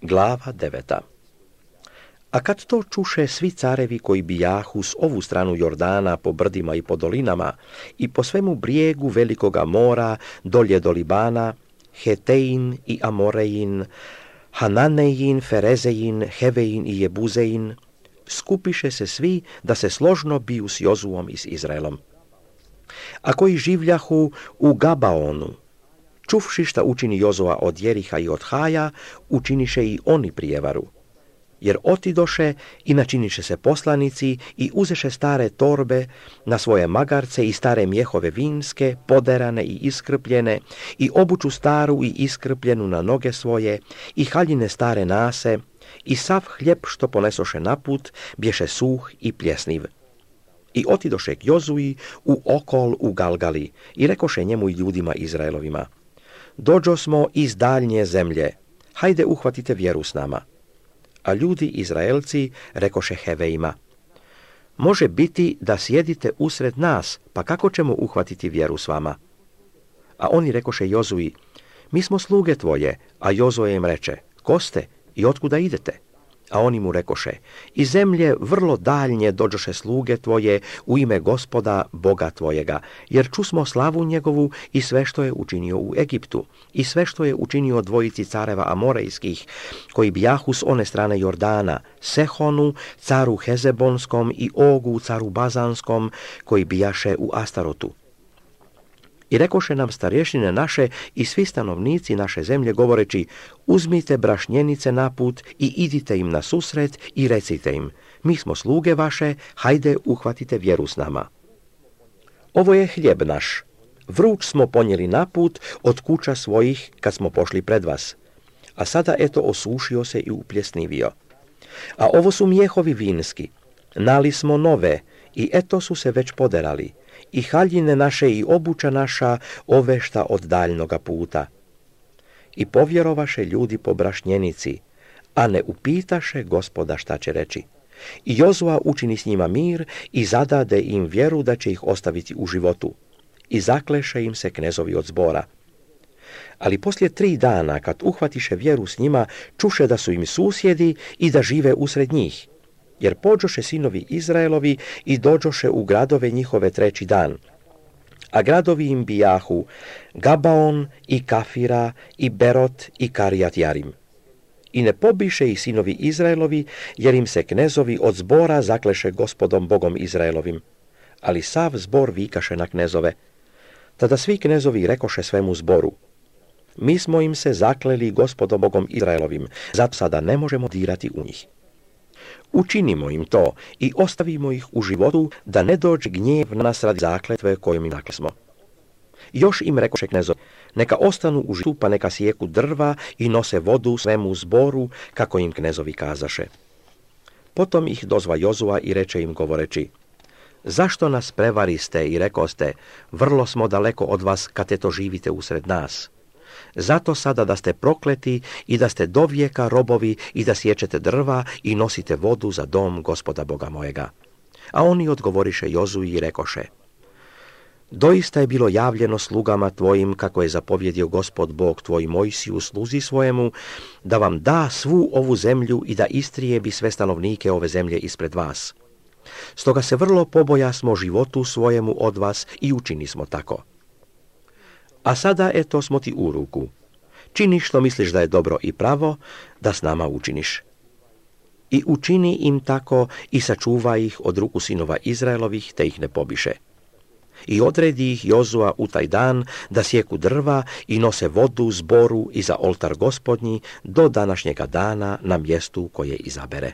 Glava 9. A kad to čuše svi carevi koji bijahu s ovu stranu Jordana po brdima i po dolinama i po svemu brijegu velikoga mora dolje do Libana, Hetein i Amorejin, Hananejin, Ferezejin, Hevein i Jebuzein, skupiše se svi da se složno biju s Jozuom i s Izraelom. A koji življahu u Gabaonu, čuvši šta učini Jozua od Jeriha i od Haja, učiniše i oni prijevaru. Jer otidoše i načiniše se poslanici i uzeše stare torbe na svoje magarce i stare mjehove vinske, poderane i iskrpljene, i obuču staru i iskrpljenu na noge svoje, i haljine stare nase, i sav hljeb što ponesoše naput, bješe suh i pljesniv. I otidoše k Jozui u okol u Galgali, i rekoše njemu i ljudima Izraelovima: Dođo smo iz daljnje zemlje, hajde uhvatite vjeru s nama. A ljudi Izraelci rekoše Heveima: Može biti da sjedite usred nas, pa kako ćemo uhvatiti vjeru s vama? A oni rekoše Jozui: Mi smo sluge tvoje. A Jozue im reče: Ko ste i otkuda idete? A oni mu rekoše: Iz zemlje vrlo daljnje dođoše sluge tvoje u ime Gospoda, Boga tvojega, jer čusmo slavu njegovu i sve što je učinio u Egiptu, i sve što je učinio dvojici careva Amorejskih, koji bijahu s one strane Jordana, Sehonu, caru Hezebonskom i Ogu, caru Bazanskom, koji bijaše u Astarotu. I rekoše nam starješine naše i svi stanovnici naše zemlje, govoreći: Uzmite brašnjenice naput i idite im na susret i recite im: Mi smo sluge vaše, hajde uhvatite vjeru s nama. Ovo je hljeb naš. Vruć smo ponijeli naput od kuća svojih kad smo pošli pred vas. A sada eto osušio se i upljesnivio. A ovo su mjehovi vinski. Nali smo nove i eto su se već poderali. I haljine naše i obuća naša ovešta od daljnoga puta. I povjerovaše ljudi po brašnjenici, a ne upitaše Gospoda šta će reći. I Jozua učini s njima mir i zadade im vjeru da će ih ostaviti u životu. I zakleše im se knezovi od zbora. Ali poslije 3 dana, kad uhvatiše vjeru s njima, čuše da su im susjedi i da žive usred njih. Jer pođoše sinovi Izraelovi i dođoše u gradove njihove 3. dan. A gradovi im bijahu Gabaon i Kafira i Berot i Karijat Jarim. I ne pobiše ih sinovi Izraelovi, jer im se knezovi od zbora zakleše Gospodom Bogom Izraelovim. Ali sav zbor vikaše na knezove. Tada svi knezovi rekoše svemu zboru: Mi smo im se zakleli Gospodom Bogom Izraelovim, zato sada ne možemo dirati u njih. Učinimo im to i ostavimo ih u životu, da ne dođe gnjev na nas radi zakletve kojom im naklesmo. Još im rekoše knezovi: Neka ostanu u životu, pa neka sijeku drva i nose vodu svemu zboru, kako im knezovi kazaše. Potom ih dozva Jozua i reče im govoreći: Zašto nas prevariste i rekoste: Vrlo smo daleko od vas, kad eto živite usred nas? Zato sada da ste prokleti i da ste do vijeka robovi i da sječete drva i nosite vodu za dom Gospoda Boga mojega. A oni odgovoriše Jozui i rekoše: Doista je bilo javljeno slugama tvojim, kako je zapovjedio Gospod Bog tvoj Mojsiju sluzi svojemu, da vam da svu ovu zemlju i da istrijebi sve stanovnike ove zemlje ispred vas. Stoga se vrlo pobojasmo životu svojemu od vas i učini smo tako. A sada eto smo ti u ruku. Čini što misliš da je dobro i pravo, da s nama učiniš. I učini im tako i sačuvaj ih od ruku sinova Izraelovih, te ih ne pobiše. I odredi ih Jozua u taj dan da sjeku drva i nose vodu zboru i za oltar Gospodnji do današnjega dana na mjestu koje izabere.